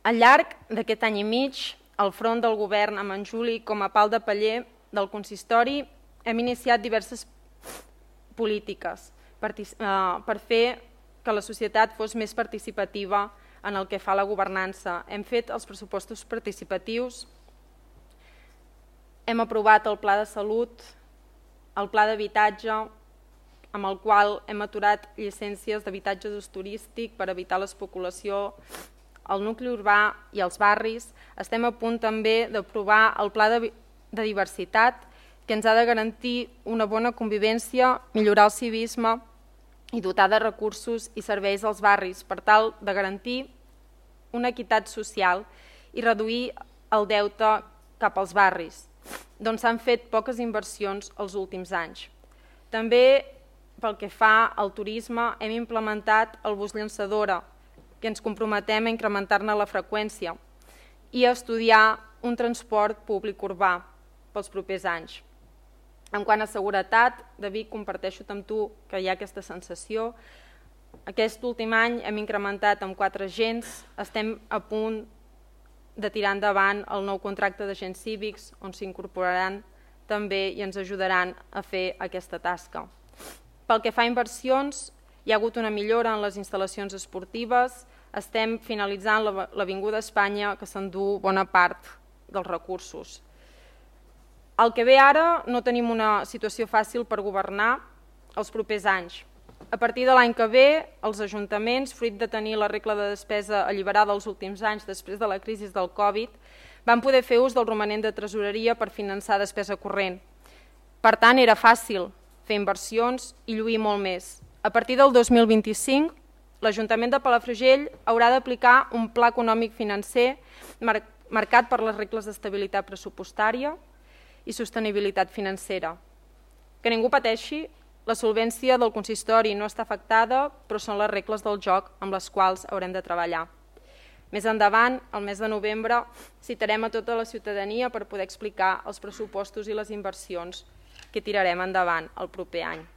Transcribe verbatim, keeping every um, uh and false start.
Al llarg d'aquest any i mig, al front del govern amb en Juli com a pal de paller del consistori, hem iniciat diverses polítiques per, eh, per fer que la societat fos més participativa en el que fa la governança. Hem fet els pressupostos participatius, hem aprovat el pla de salut, el pla d'habitatge, amb el qual hem aturat llicències d'habitatge d'ús turístic per evitar l'especulació al nucli urbà i als barris. Estem a punt també d'aprovar el pla de, de diversitat, que ens ha de garantir una bona convivència, millorar el civisme i dotar de recursos i serveis als barris per tal de garantir una equitat social i reduir el deute cap als barris, d'on s'han fet poques inversions els últims anys. També, pel que fa al turisme, hem implementat el bus llançadora, que ens comprometem a incrementar-ne la freqüència i a estudiar un transport públic urbà pels propers anys. En quant a seguretat, David, comparteixo amb tu que hi ha aquesta sensació. Aquest últim any hem incrementat amb quatre agents, estem a punt de tirar endavant el nou contracte d'agents cívics, on s'incorporaran també i ens ajudaran a fer aquesta tasca. Pel que fa a inversions, hi ha hagut una millora en les instal·lacions esportives, estem finalitzant l'Avinguda Espanya, que s'endú bona part dels recursos. El que ve ara, no tenim una situació fàcil per governar els propers anys. A partir de l'any que ve, els ajuntaments, fruit de tenir la regla de despesa alliberada els últims anys després de la crisi del Covid, van poder fer ús del romanent de tresoreria per finançar despesa corrent. Per tant, era fàcil fer inversions i lluir molt més. A partir del dos mil vint-i-cinc, l'Ajuntament de Palafrugell haurà d'aplicar un pla econòmic financer marcat per les regles d'estabilitat pressupostària i sostenibilitat financera. Que ningú pateixi, la solvència del consistori no està afectada, però són les regles del joc amb les quals haurem de treballar. Més endavant, el mes de novembre, citarem a tota la ciutadania per poder explicar els pressupostos i les inversions que tirarem endavant el proper any.